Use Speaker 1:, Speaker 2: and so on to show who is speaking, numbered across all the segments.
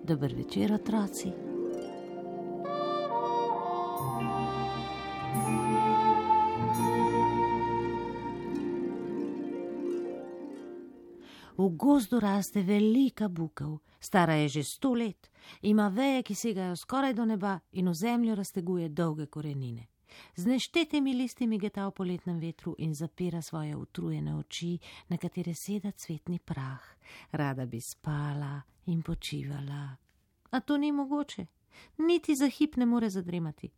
Speaker 1: Dober večer, otroci. V gozdu raste velika bukev, stara je že 100 let, ima veje, ki segajo skoraj do neba in v zemljo razteguje dolge korenine. Z neštetimi listi migeta v poletnem vetru in zapira svoje utrujene oči, na katere seda cvetni prah. Rada bi spala in počivala. A to ni mogoče, niti za hip ne more zadremati.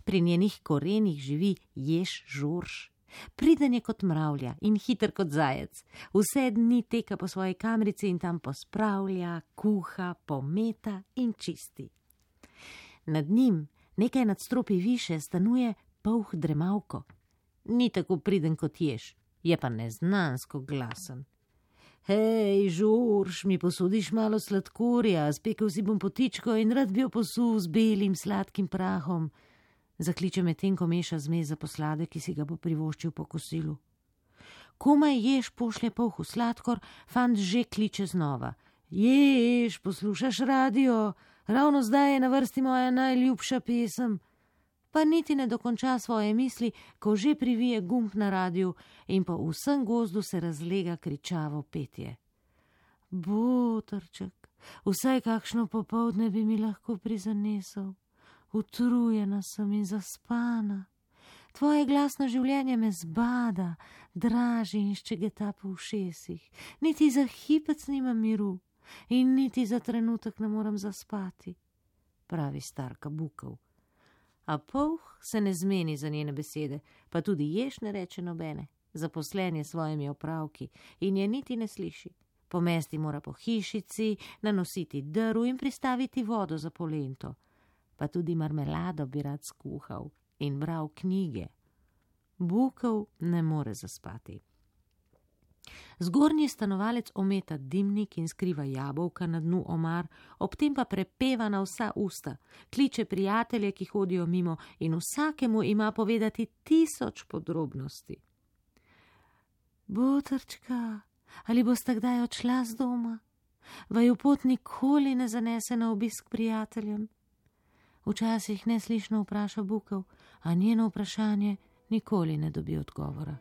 Speaker 1: Pri njenih korenih živi jež Žorž. Priden je kot mravlja in hiter kot zajec. Vse dni teka po svoji kamrici in tam pospravlja, kuha, pometa in čisti. Nad njim, nekaj nadstropij više, stanuje polh Dremavko. Ni tako priden kot jež, je pa neznansko glasen. Hej, Žorž, mi posudiš malo sladkorja, spekel si bom potičko in rad bi jo posul z belim sladkim prahom. Zakliče medtem, ko meša zmes za posladek, ki si ga bo privoščil po kosilu. Komaj jež pošlje polhu sladkor, fant že kliče znova. Jež, poslušaš radio? Ravno zdaj je na vrsti moja najljubša pesem. Pa niti ne dokonča svoje misli, ko že privije gumb na radiju in po vsem gozdu se razlega kričavo petje. Botrček, vsaj kakšno popoldne bi mi lahko prizanesel. Utrujena sem in zaspana. Tvoje glasno življenje me zbada, draži in ščegeta po ušesih. Niti za hipec nimam miru in niti za trenutek ne moram zaspati, pravi starka bukev. A polh se ne zmeni za njene besede, pa tudi jež ne reče nobene. Zaposlen je s svojimi opravki in je niti ne sliši. Pomesti mora po hišici, nanositi drv in pristaviti vodo za polento. Pa tudi marmelado bi rad skuhal in bral knjige. Bukev ne more zaspati. Zgornji stanovalec ometa dimnik in skriva jabolka na dnu omar, ob tem pa prepeva na vsa usta, kliče prijatelje, ki hodijo mimo in vsakemu ima povedati 1000 podrobnosti. Botrčka, ali boste kdaj odšla z doma? Vaju pot nikoli ne zanese na obisk prijateljem? Včasih neslišno vpraša bukev, a njeno vprašanje nikoli ne dobi odgovora.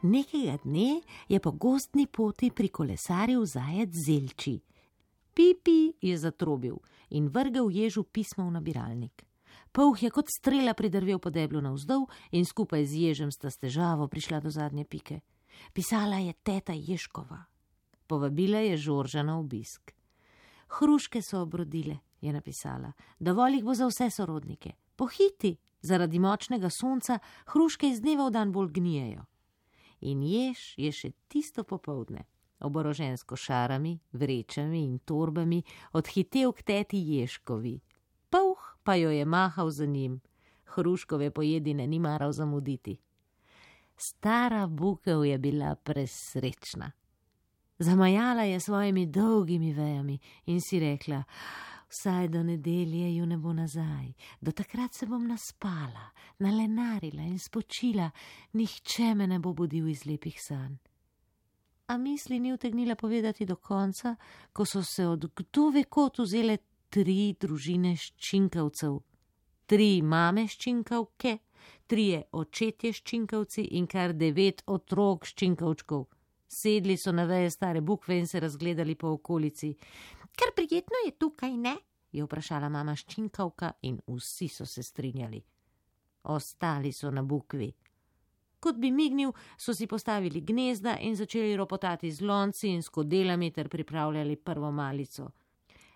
Speaker 1: Nekega dne je po gozdni poti prikolesaril zajec Zelči. Pipi je zatrobil in vrgel ježu pismo v nabiralnik. Polh je kot strela pridrvel po deblu navzdol in skupaj z ježem sta s težavo prišla do zadnje pike. Pisala je teta Ježkova. Povabila je Žorža na obisk. Hruške so obrodile, je napisala. Dovolj jih bo za vse sorodnike. Pohiti, zaradi močnega sonca hruške iz dneva v dan bolj gnijejo. In jež je še tisto popoldne, oborožen s košarami, vrečami in torbami, odhitel k teti Ježkovi. Polh pa jo je mahal za njim. Hruškove pojedine ni maral zamuditi. Stara bukev je bila presrečna. Zamajala je svojimi dolgimi vejami in si rekla, vsaj do nedelje ju ne bo nazaj, do takrat se bom naspala, nalenarila in spočila, nihče me ne bo budil iz lepih sanj. A misli ni utegnila povedati do konca, ko so se od kdo ve kod vzele 3 družine ščinkavcev, 3 mame ščinkavke, 3 očetje ščinkavci in kar 9 otrok ščinkavčkov. Sedli so na veje stare bukve in se razgledali po okolici. Kar prijetno je tukaj, ne? Je vprašala mama ščinkavka in vsi so se strinjali. Ostali so na bukvi. Kot bi mignil, so si postavili gnezda in začeli ropotati z lonci in skodelami ter pripravljali prvo malico.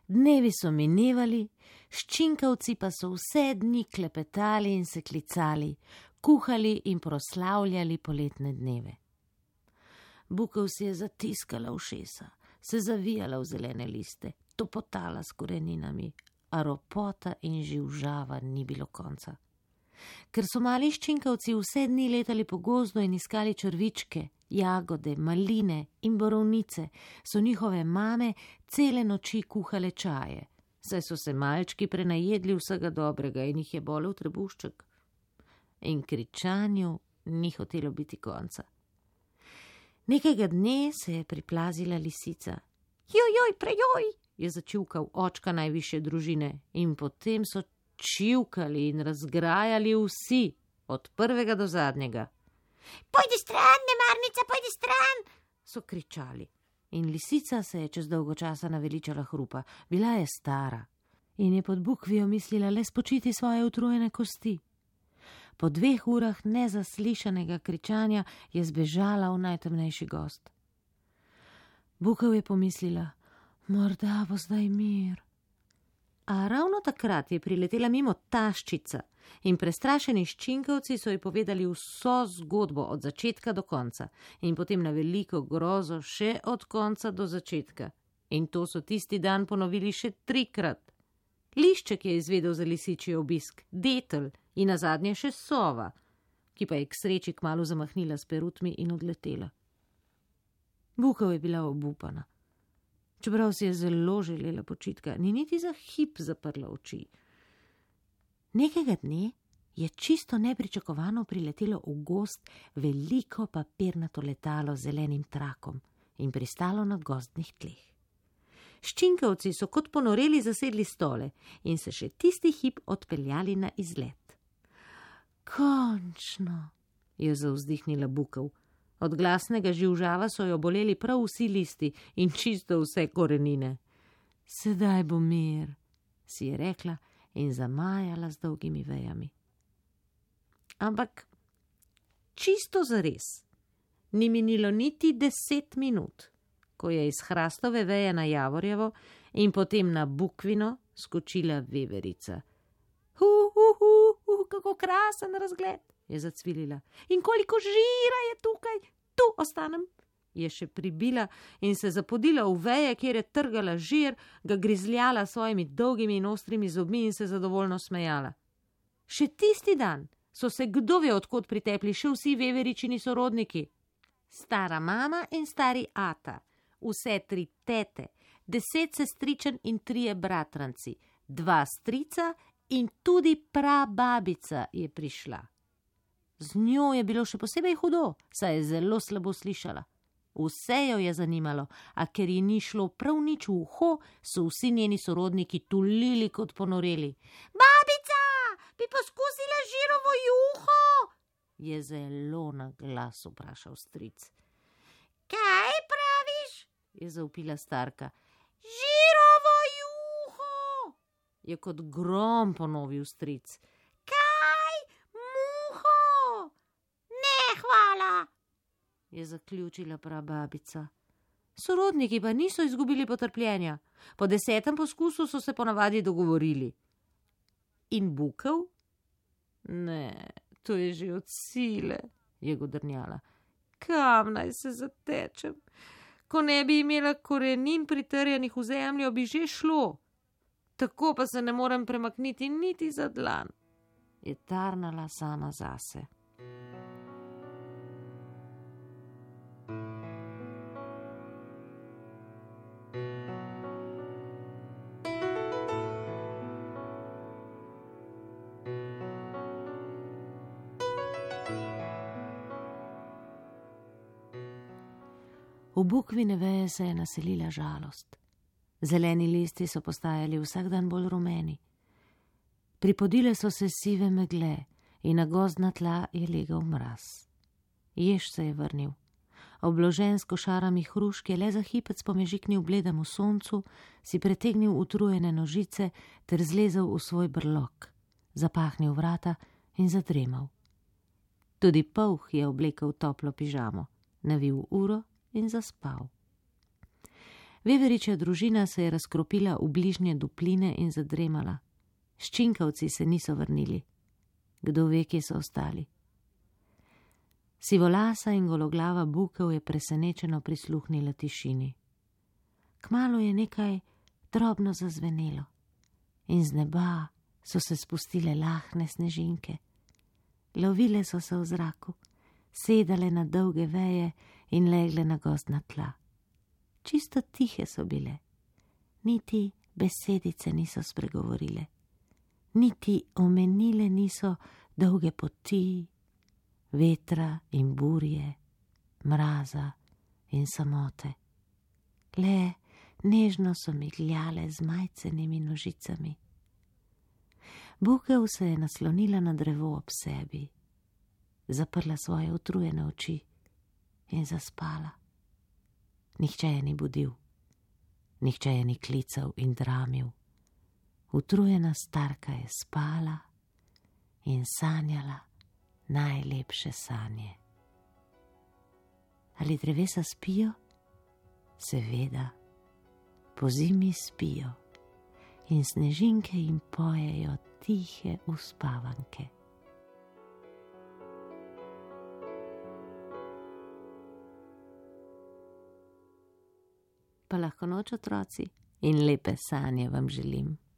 Speaker 1: Dnevi so minevali, ščinkavci pa so vse dni klepetali in se klicali, kuhali in proslavljali poletne dneve. Bukev si je zatiskala ušesa, se zavijala v zelene liste, topotala s koreninami, a ropota in živžava ni bilo konca. Ker so mali ščinkavci vse dni letali po gozdu in iskali črvičke, jagode, maline in borovnice, so njihove mame cele noči kuhale čaje, saj so se malčki prenajedli vsega dobrega in jih je bolel trebušček. In kričanju ni hotelo biti konca. Nekega dne se je priplazila lisica. Joj, prejoj, je začivkal očka najvišje družine in potem so čivkali in razgrajali vsi, od prvega do zadnjega. Pojdi stran, nemarnica, pojdi stran, so kričali. In lisica se je čez dolgo časa naveličala hrupa. Bila je stara in je pod bukvijo mislila le spočiti svoje utrujene kosti. Po 2 urah nezaslišanega kričanja je zbežala v najtemnejši gozd. Bukev je pomislila, morda bo zdaj mir. A ravno takrat je priletela mimo taščica in prestrašeni ščinkavci so ji povedali vso zgodbo od začetka do konca in potem na veliko grozo še od konca do začetka. In to so tisti dan ponovili še 3-krat. Lišček je izvedel za lisičji obisk, detel in nazadnje še sova, ki pa je k sreči kmalu zamahnila s perutmi in odletela. Bukev je bila obupana. Čeprav si je zelo želela počitka, ni niti za hip zaprla oči. Nekega dne je čisto nepričakovano priletelo v gozd veliko papirnato letalo z zelenim trakom in pristalo na gozdnih tleh. Ščinkavci so kot ponoreli zasedli stole in se še tisti hip odpeljali na izlet. Končno, je zavzdihnila Bukev. Od glasnega živžava so jo boleli prav vsi listi in čisto vse korenine. Sedaj bo mir, si je rekla in zamajala z dolgimi vejami. Ampak čisto zares ni minilo niti 10 minut, ko je iz hrastove veje na javorjevo in potem na bukvino skočila veverica. Kako krasen razgled, je zacvilila. In koliko žira je tukaj, tu ostanem, je še pribila in se zapodila v veje, kjer je trgala žir, ga grizljala svojimi dolgimi in ostrimi zobmi in se zadovoljno smejala. Še tisti dan so se kdo ve odkot pritepli še vsi veveričini sorodniki. Stara mama in stari ata, vse 3 tete, 10 sestričen in 3 bratranci, 2 strica in tudi prababica je prišla. Z njo je bilo še posebej hudo, saj je zelo slabo slišala. Vse jo je zanimalo, a ker ji ni šlo prav nič v uho, so vsi njeni sorodniki tulili kot ponoreli. Babica, bi poskusila žirovo juho? Je zelo na glas vprašal stric. Kaj praviš? Je zavpila starka. Žirovo juho, je kot grom ponovil stric. Hvala, je zaključila prababica. Sorodniki pa niso izgubili potrpljenja. Po 10. poskusu so se ponavadi dogovorili. In Bukev? Ne, to je že od sile, je godrnjala. Kam naj se zatečem? Ko ne bi imela korenin pritrjenih v zemljo, bi že šlo. Tako pa se ne morem premakniti niti za dlan, je tarnala sama zase. V bukvine veje se je naselila žalost. Zeleni listi so postajali vsak dan bolj rumeni. Pripodile so se sive megle in na gozdna tla je legel mraz. Jež se je vrnil. Obložen s košarami hrušk je le za hipec pomežiknil bledemu soncu, si pretegnil utrujene nožice ter zlezel v svoj brlog, zapahnil vrata in zadremal. Tudi polh je oblekel toplo pižamo, navil uro in zaspal. Veveričja družina se je razkropila v bližnje dupline in zadremala. Ščinkavci se niso vrnili. Kdo ve, kje so ostali. Sivolasa in gologlava Bukev je presenečeno prisluhnila tišini. Kmalu je nekaj drobno zazvenelo in z neba so se spustile lahne snežinke. Lovile so se v zraku, sedale na dolge veje in legle na gozdna tla. Čisto tihe so bile, niti besedice niso spregovorile, niti omenile niso dolge poti, vetra in burje, mraza in samote. Le nežno so migljale z majcenimi nožicami. Bukev se je naslonila na drevo ob sebi, zaprla svoje utrujene oči in zaspala. Nihče je ni budil, nihče je ni klical in dramil. Utrujena starka je spala in sanjala najlepše sanje. Ali drevesa spijo? Seveda, pozimi spijo in snežinke jim pojejo tihe uspavanke. Pa lahko noč, otroci, in lepe sanje vam želim.